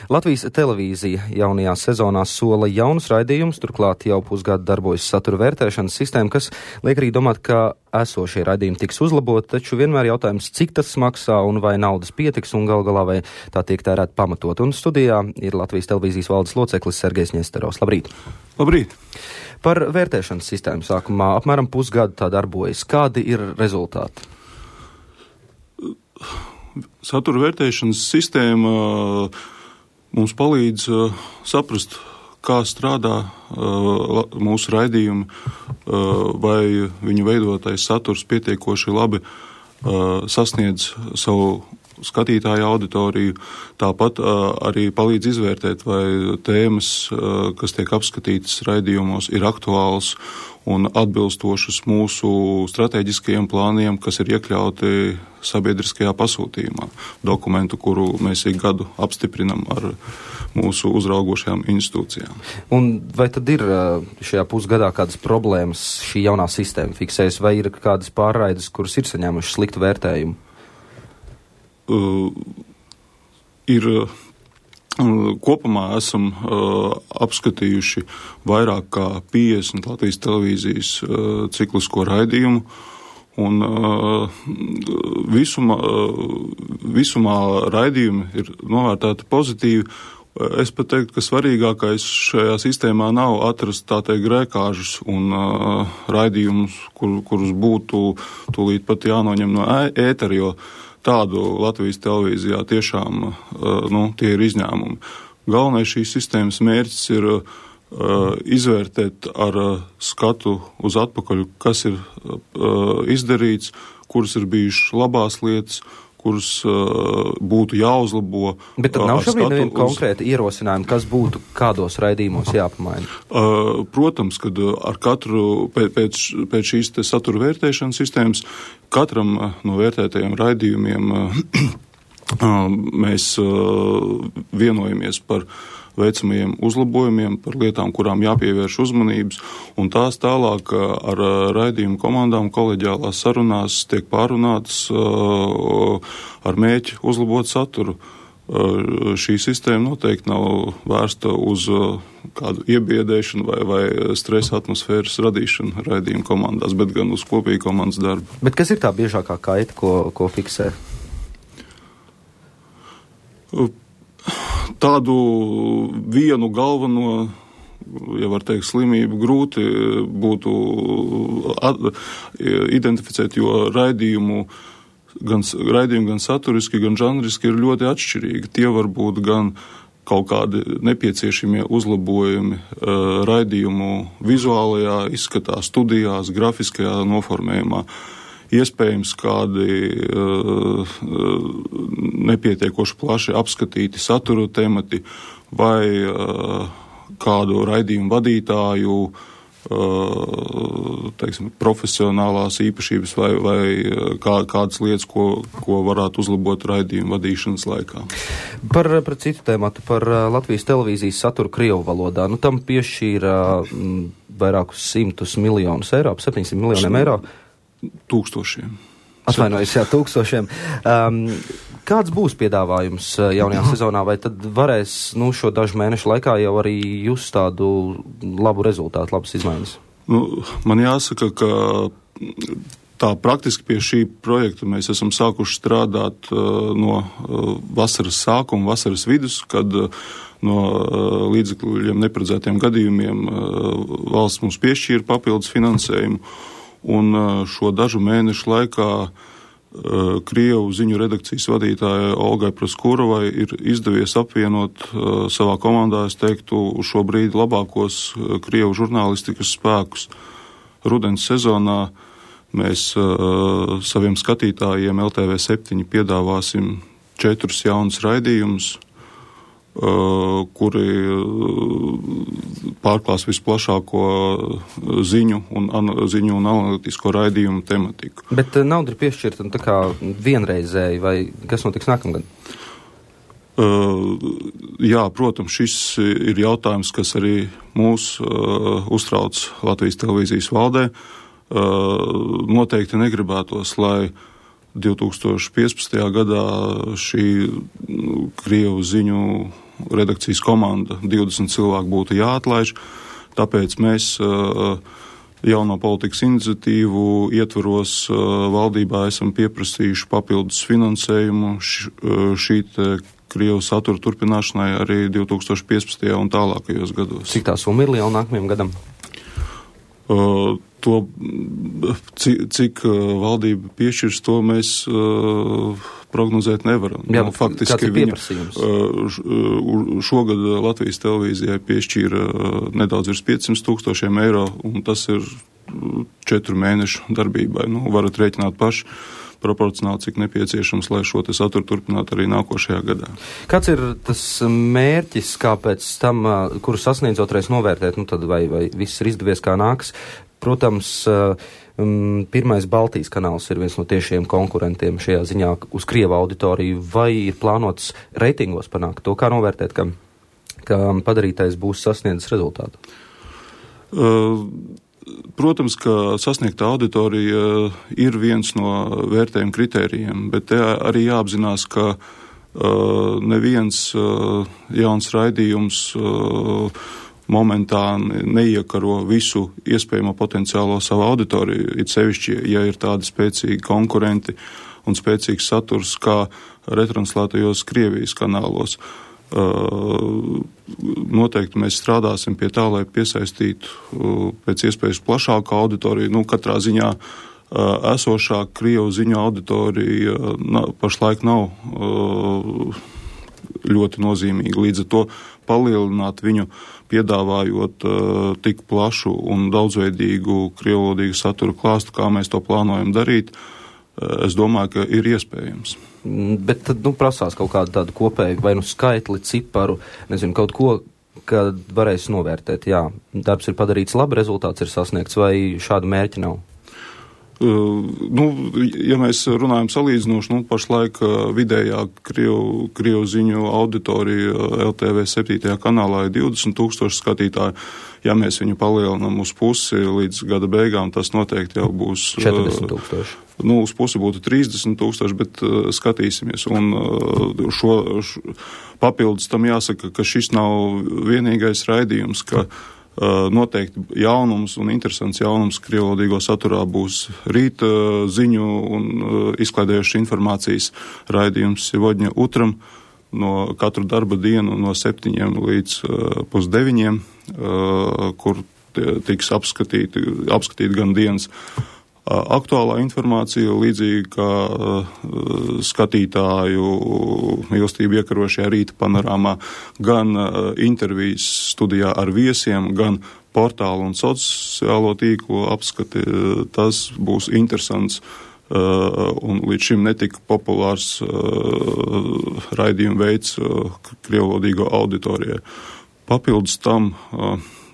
Latvijas televīzija jaunajā sezonā sola jaunus raidījumus, turklāt jau pusgadu darbojas satura vērtēšanas sistēma, kas liek arī domāt, ka esošie raidījumi tiks uzlaboti, taču vienmēr jautājums, cik tas maksā un vai naudas pietiks un gal galā vai tā tiek tērēt pamatot. Un studijā ir Latvijas televīzijas valdes loceklis Sergejs Ņesterovs. Labrīt! Labrīt! Par vērtēšanas sistēmu sākumā apmēram pusgadu tā darbojas. Kādi ir rezultāti? Satura vērtēšanas sistēma mums palīdz saprast, kā strādā mūsu raidījumi, vai viņu veidotais saturs pietiekoši labi sasniedz savu skatītāju auditoriju. Tāpat arī palīdz izvērtēt, vai tēmas, kas tiek apskatītas raidījumos, ir aktuāls un atbilstošas mūsu strateģiskajiem plāniem, kas ir iekļauti sabiedriskajā pasūtījumā, dokumentu, kuru mēs ik gadu apstiprinam ar mūsu uzraugošajām institūcijām. Un vai tad ir šajā pusgadā kādas problēmas šī jaunā sistēma fiksējas, vai ir kādas pārraides, kuras ir saņēmušas sliktu vērtējumu? Kopumā esam apskatījuši vairāk kā 50 Latvijas televīzijas ciklisko raidījumu, un visumā raidījumi ir novērtēti pozitīvi. Es pat teiktu, ka svarīgākais šajā sistēmā nav atrast tā teikt grēkāžus un raidījumus, kurus būtu tūlīt pat jānoņem no ētera, jo tādu Latvijas televīzijā tiešām tie ir izņēmumi. Galvenais šīs sistēmas mērķis ir izvērtēt ar skatu uz atpakaļ, kas ir izdarīts, kuras ir bijušas labās lietas, kuras būtu jāuzlabo. Bet tad nav šobrīd neviena konkrēta ierosinājuma, kas būtu kādos raidījumos jāpamaina? Protams, kad ar katru pēc šīs te satura vērtēšanas sistēmas katram no vērtētajiem raidījumiem mēs vienojamies par veicamajiem uzlabojumiem, par lietām, kurām jāpievērš uzmanības, un tās tālāk ar raidījumu komandām koleģiālās sarunās tiek pārunātas ar mērķi uzlabot saturu. Šī sistēma noteikti nav vērsta uz kādu iebiedēšanu vai stresa atmosfēras radīšanu raidījumu komandās, bet gan uz kopīgu komandas darbu. Bet kas ir tā biežākā kaita, ko fiksē? Tādu vienu galveno, ja var teikt, slimību grūti būtu identificēt, jo raidījumi gan saturiski, gan žanriski ir ļoti atšķirīgi. Tie var būt gan kaut kādi nepieciešamie uzlabojumi raidījumu vizuālajā izskatā, studijās, grafiskajā noformējumā. Iespējams, kādi nepietiekoši plaši apskatīti satura temati vai kādu raidījumu vadītāju profesionālās īpašības vai kādas lietas, ko varētu uzlabot raidījumu vadīšanas laikā. Par citu tēmatu, par Latvijas televīzijas saturu krievu valodā. Tam piešķīra vairākus 100 miljonus eiro, 700 miljoniem eiro. Tūkstošiem. Atvainojos, jā, tūkstošiem. Kāds būs piedāvājums jaunajā sezonā, vai tad varēs šo dažu mēnešu laikā jau arī just tādu labu rezultātu, labas izmaiņas? Man jāsaka, ka tā praktiski pie šī projekta mēs esam sākuši strādāt no vasaras sākuma, vasaras vidus, kad no līdzekļiem neparedzētiem gadījumiem valsts mums piešķīra papildus finansējumu. Un šo dažu mēnešu laikā Krievu ziņu redakcijas vadītāja Olgai Praskurovai ir izdevies apvienot savā komandā, es teiktu, šobrīd labākos Krievu žurnālistikas spēkus. Rudens sezonā mēs saviem skatītājiem LTV7 piedāvāsim 4 jaunus raidījumus, kuri pārklās visplašāko ziņu un analītisko raidījumu tematiku. Bet nauda ir piešķirta tā kā vienreizēji, vai kas notiks nākamgad? Jā, protams, šis ir jautājums, kas arī mūs uztrauc Latvijas televīzijas valdē. Noteikti negribētos, lai 2015. gadā šī Krievu ziņu redakcijas komanda 20 cilvēku būtu jāatlaiž, tāpēc mēs jauno politikas iniciatīvu ietvaros valdībā esam pieprasījuši papildus finansējumu šī Krievu satura turpināšanai arī 2015. un tālākajos gados. Cik tā summa ir liela nākamajam gadam? Cik valdība piešķirs, to mēs prognozēt nevaram. Jā, faktiski kāds ir pieprasījums? Šogad Latvijas televīzijai piešķīra nedaudz virs 500,000 eiro, un tas ir 4 mēnešu darbībai. Varat rēķināt paši proporcionāli, cik nepieciešams, lai šo te saturu turpinātu arī nākošajā gadā. Kāds ir tas mērķis, kāpēc tam, kuru sasniedzotreiz novērtēt, tad vai viss ir izdevies kā nāks? Protams, pirmais Baltijas kanāls ir viens no tiešiem konkurentiem šajā ziņā uz Krievu auditoriju. Vai ir plānots reitingos panākt to, kā novērtēt, ka padarītais būs sasniedzis rezultātu? Protams, ka sasniegtā auditorija ir viens no vērtējuma kritērijiem, bet te arī jāapzinās, ka neviens jauns raidījums momentā neiekaro visu iespējamo potenciālo savu auditoriju, it sevišķi, ja ir tādi spēcīgi konkurenti un spēcīgs saturs kā retranslētajos Krievijas kanālos. Noteikti mēs strādāsim pie tā, lai piesaistītu pēc iespējas plašāku auditoriju. Katrā ziņā esošā Krievu ziņu auditorija pašlaik nav ļoti nozīmīga. Līdz ar to palielināt viņu, piedāvājot tik plašu un daudzveidīgu krievlodīgu satura klāstu, kā mēs to plānojam darīt, es domāju, ka ir iespējams. Bet tad, prasās kaut kādu tādu kopēju, vai skaitli, ciparu, kaut ko, kad varēs novērtēt, jā, darbs ir padarīts labi, rezultāts ir sasniegts, vai šādu mērķi nav? Ja mēs runājam salīdzinoši, pašlaik vidējā Krievu ziņu auditorija LTV 7. kanālā ir 20,000 skatītāji. Ja mēs viņu palielinām uz pusi līdz gada beigām, tas noteikti jau būs 40,000. Uz pusi būtu 30,000, bet skatīsimies. Un papildus tam jāsaka, ka šis nav vienīgais raidījums, ka noteikti jaunums un interesants jaunums krievlodīgo saturā būs rīta ziņu un izklaidējušas informācijas raidījums Sivodņa Utram no katru darba dienu no 7 līdz 8:30, kur tiks apskatīt gan dienas aktuālā informācija, līdzīgi kā skatītāju mīlestību iekarošajā rīta panorāmā, gan intervijas studijā ar viesiem, gan portālu un sociālo tīklu apskati. Tas būs interesants un līdz šim netika populārs raidījuma veids krievlodīgo auditorijai. Papildus tam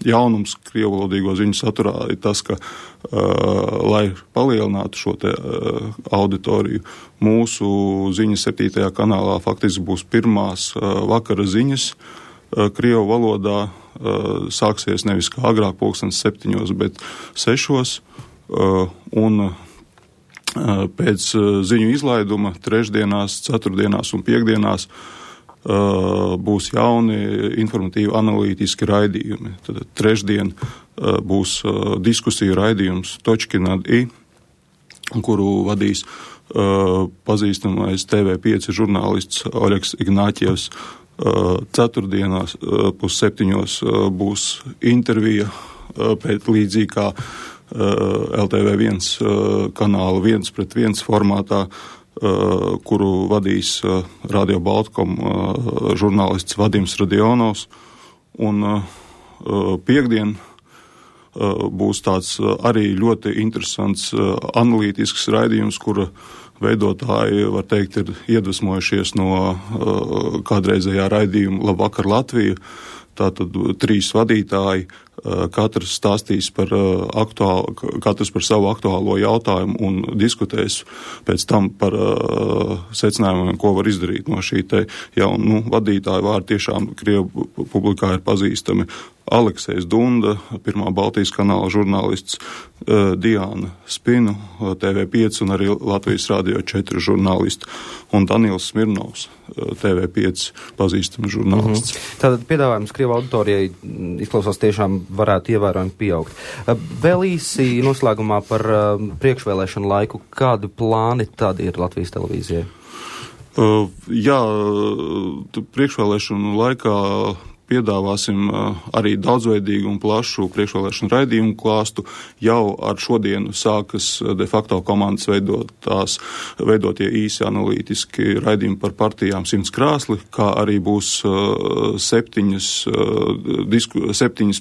jaunums krievlodīgo ziņu saturā ir tas, ka, lai palielinātu šo te auditoriju, mūsu ziņas 7. kanālā faktiski būs pirmās vakara ziņas krievu valodā. Sāksies nevis kā agrāk 7:00, bet 6:00, un pēc ziņu izlaiduma trešdienās, ceturtdienās un piekdienās būs jauni informatīvi analītiski raidījumi. Tad trešdien būs diskusiju raidījums Točkinad I, kuru vadīs pazīstamais TV5 žurnālists Oļegs Ignāķievs. Ceturtdienās 6:30 būs intervija pēc līdzīgi kā LTV1 kanāla 1:1 formātā, kuru vadīs Radio Baltkom žurnālists Vadims Radionovs. Un piekdien būs tāds arī ļoti interesants analītisks raidījums, kura veidotāji, var teikt, ir iedvesmojušies no kādreizējā raidījuma Labvakar Latvija. Tātad 3 vadītāji, katrs stāstīs katrs par savu aktuālo jautājumu un diskutēs pēc tam par secinājumiem, ko var izdarīt no šī te vadītāja vārda. Tiešām Krievu publikā ir pazīstami Aleksejs Dunda, Pirmā Baltijas kanāla žurnālists, Diāna Spinu, TV5 un arī Latvijas Radio 4 žurnālisti, un Daniels Smirnovs, TV5 pazīstams žurnālists. Tātad piedāvājums Krievu auditorijai izklausās tiešām varētu ievērojami pieaugt. Vēl īsi noslēgumā par priekšvēlēšanu laiku. Kādi plāni tad ir Latvijas televīzijai? Priekšvēlēšanu laikā piedāvāsim arī daudzveidīgu un plašu priekšvēlēšanu raidījumu klāstu. Jau ar šodienu sākas de facto komandas veidotie īsi analītiski raidījumi par partijām 100 krāsli, kā arī būs 7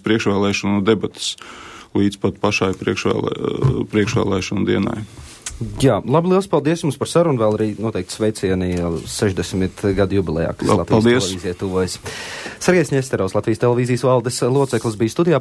priekšvēlēšanu debatas līdz pat pašai priekšvēlēšanu dienai. Jā, labi, liels paldies jums par sarunu, vēl arī noteikti sveicieni 60 gadu jubilejā, kas Latvijas televīzija tuvojas. Sergejs Ņesterovs, Latvijas televīzijas valdes loceklis, bija studijā.